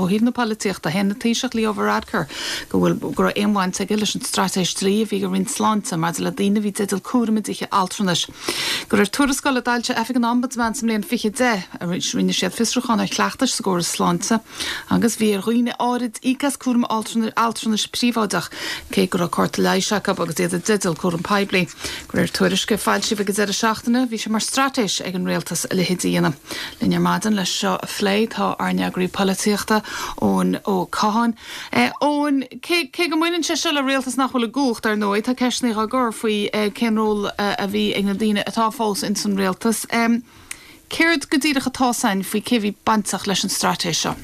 Ó thaobh na polaitíochta, shéan an Taoiseach Leo Varadkar go bhfuil go raibh aon bhaint aige leis an straitéis dlí a bhí ag an Roinn Sláinte maidir le daoine a bhí i dteideal cúram i dtithe altranais. De réir tuarascáil a d'fhoilsigh Oifig an Ombudsman sa mbliain 2010, rinne siad fiosrúchán ar chleachtais sa gcóras sláinte agus bhí ar dhaoine áirid íoc as cúram altranais príobháideach, cé go raibh cárta leighis acu agus iad i dteideal cúram poiblí. De réir tuairisce a foilsíodh ag an deireadh seachtaine, bhí sé mar straitéis ag an rialtas a leithéid a dhéanamh. Linn ar maidin leis seo a phlé tá ár n-eagraí polaitíochta, Eoin Ó Catháin. Eoin, cé cé go mbaineann sé seo le rialtas nach bhfuil i gcumhacht, ar ndóigh, tá ceisteanna á gcur faoi cén ról a bhí ag na daoine atá fós ins an rialtas. Céard go díreach atá 's againn faoi cé a bhí bainteach leis an straitéis seo?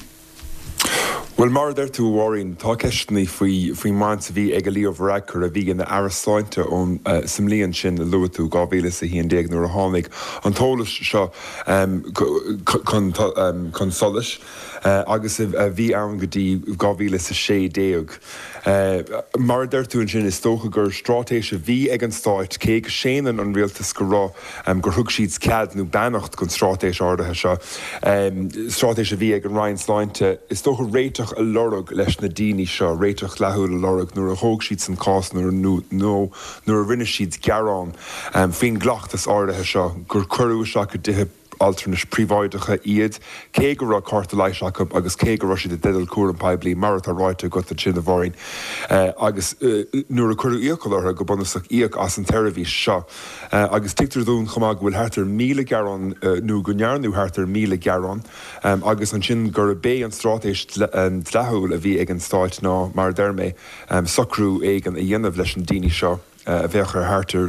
Bhuel, mar a deir tú, a Mháirín, tá ceisteanna faoi faoin mbaint a bhí ag Leo Varadkar, a bhí ina Aire Sláinte ón sa mbliain sin a luaigh tú, 2011, nuair a tháinig an t-eolas seo chun chun solais agus a bhí ann go dtí 2016. Mar a deir tú ansin, is dócha gur straitéis a bhí ag an Stáit, cé go séanann an rialtas go raibh, gur thug siad cead nó beannacht don straitéis áirithe seo, straitéis a bhí ag an Roinn Sláinte, is dócha réiteach a lorg leis na daoine seo, réiteach dleathúil a lorg nuair a thóg siadsan cás nó nuair a rinne siad gearán faoin gcleachtas áirithe seo gur cuireadh isteach i dtithe altranais príobháideacha iad, cé go raibh cárta leighis acu agus cé go raibh siad i dteideal cúram poiblí, mar atá ráite agat ansin, a Mháirín. Agus nuair a cuireadh iachall orthu, go bunúsach, íoc as an tseirbhís seo. Agus tuigtear dúinn chomh maith go bhfuil thart ar 1,000 gearán, nó go ndearnadh thart ar 1,000 gearán, agus ansin gurb é an straitéis dleathúil a bhí ag an Stáit ná, mar a deir mé, socrú éigin a dhéanamh leis na daoine seo. a bheadh ar thart ar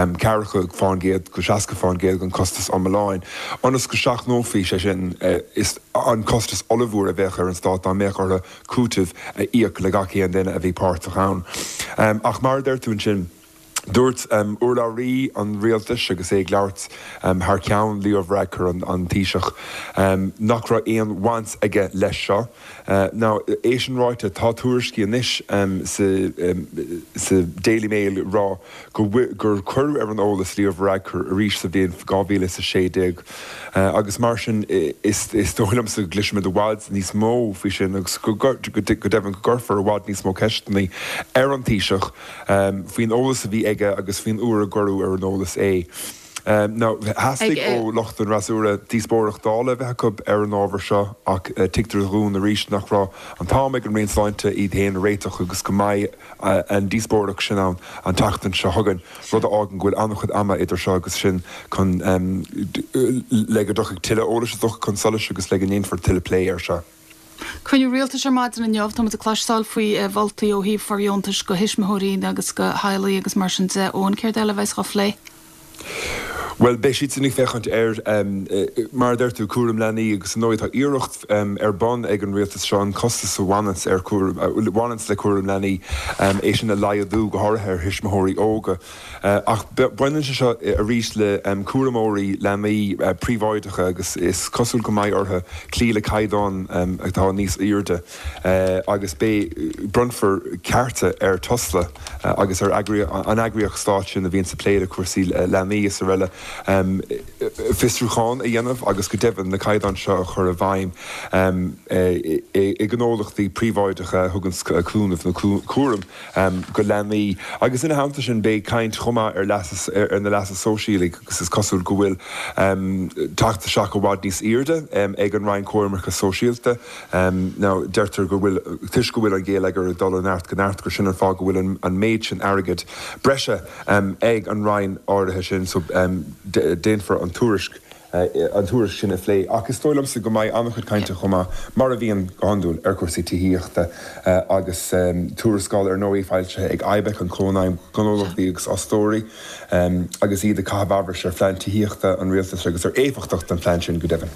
40% go 60% den chostas iomláin, ionas go seachnófaí, sé sin, an costas ollmhór a bheadh ar an Stát dá mbeadh orthu cúiteamh a íoc le gach aon duine a bhí páirteach ann. Ach mar a deir tú ansin, dúirt urlabhraí an rialtais agus é ag labhairt thar ceann Leo Varadkar, an Taoiseach, nach raibh aon bhaint aige leis seo. Now, é sin ráite, tá tuairiscí anois sa Daily Mail ag rá go gur cuireadh ar an eolas Leo Varadkar arís sa bhliain 2016 agus mar sin is dóigh liomsa go gcloisfimid i bhfad níos mó faoi sin agus go deimhin go gcuirfear i bhfad níos mó ceisteanna ar an Taoiseach faoin eolas a bhí aige agus faoin uair a gcuireadh ar an eolas é. Now, theastaigh ó lucht an fhreasúra díospóireacht Dála a bheith acu ar an ábhar seo ach tuigtear dhúinn arís nach raibh an t-am ag an Roinn Sláinte iad féin a réiteach agus go mbeidh an díospóireacht sin ann an tseachtain seo chugainn, rud a fhágann go bhfuil an-chuid ama idir seo agus sin chun le go dtiocfaidh tuilleadh eolais is dócha chun solais agus le go ndéanfar tuilleadh plé air seo. Cruinniú Rialtais ar maidin inniu. Tá muid ag cloisteáil faoi mholtaí ó thaobh fóirdheontais do thuismitheoirí agus do theaghlaigh agus mar sin de. Eoin, céard eile a bheas á phlé? Bhuel, beidh siadsan ag féachaint ar, mar a deir tú, cúram leanaí agus ar ndóigh tá iarracht ar bun ag an rialtas seo an costas a bhaineanns ar chúram, a bhaineanns le cúram leanaí, é sin a laghdú, go háirithe ar thuismitheoirí óga. Ach baineann sé seo arís le cúramóirí leanaí príobháideacha agus is cosúil go mbeidh orthu cloí le caighdeáin atá níos airde agus beidh, bronnfar cearta ar Tusla agus ar an eagraíocht stáit sin a bhíonns ag plé le cúrsaí leanaí is araile fiosrúchán a dhéanamh agus go deimhin na caighdeáin seo a chur i bhfeidhm i ngnólachtaí príobháideacha a thugann cúnamh nó cúram go leanaí. Agus ina theannta sin beidh caint chomh maith ar leas ar na leasa sóisialaigh agus is cosúil go bhfuil teacht isteach i bhfad níos airde ag an Roinn Coimirce Sóisialta. Now deirtear go bhfuil, toisc go bhfuil an géilleagar ag dul ó neart go neart, gur sin an fáth go bhfuil an méid sin airgid breise ag an Roinn áirithe sin so déanfar an tuairisc an tuairisc sin a phlé. Ach is dóigh liomsa go mbeidh an-chuid cainte chomh maith, mar a bhíonn go hiondúil, ar chúrsaí tithíochta agus tuarascáil ar ndóigh foilsithe ag IBEC, an Cónaidhm Gnólachtaí agus Fhostóirí, agus iad ag caitheamh amhrais ar phlean tithíochta an rialtais agus ar éifeachtacht an phlean sin go deimhin.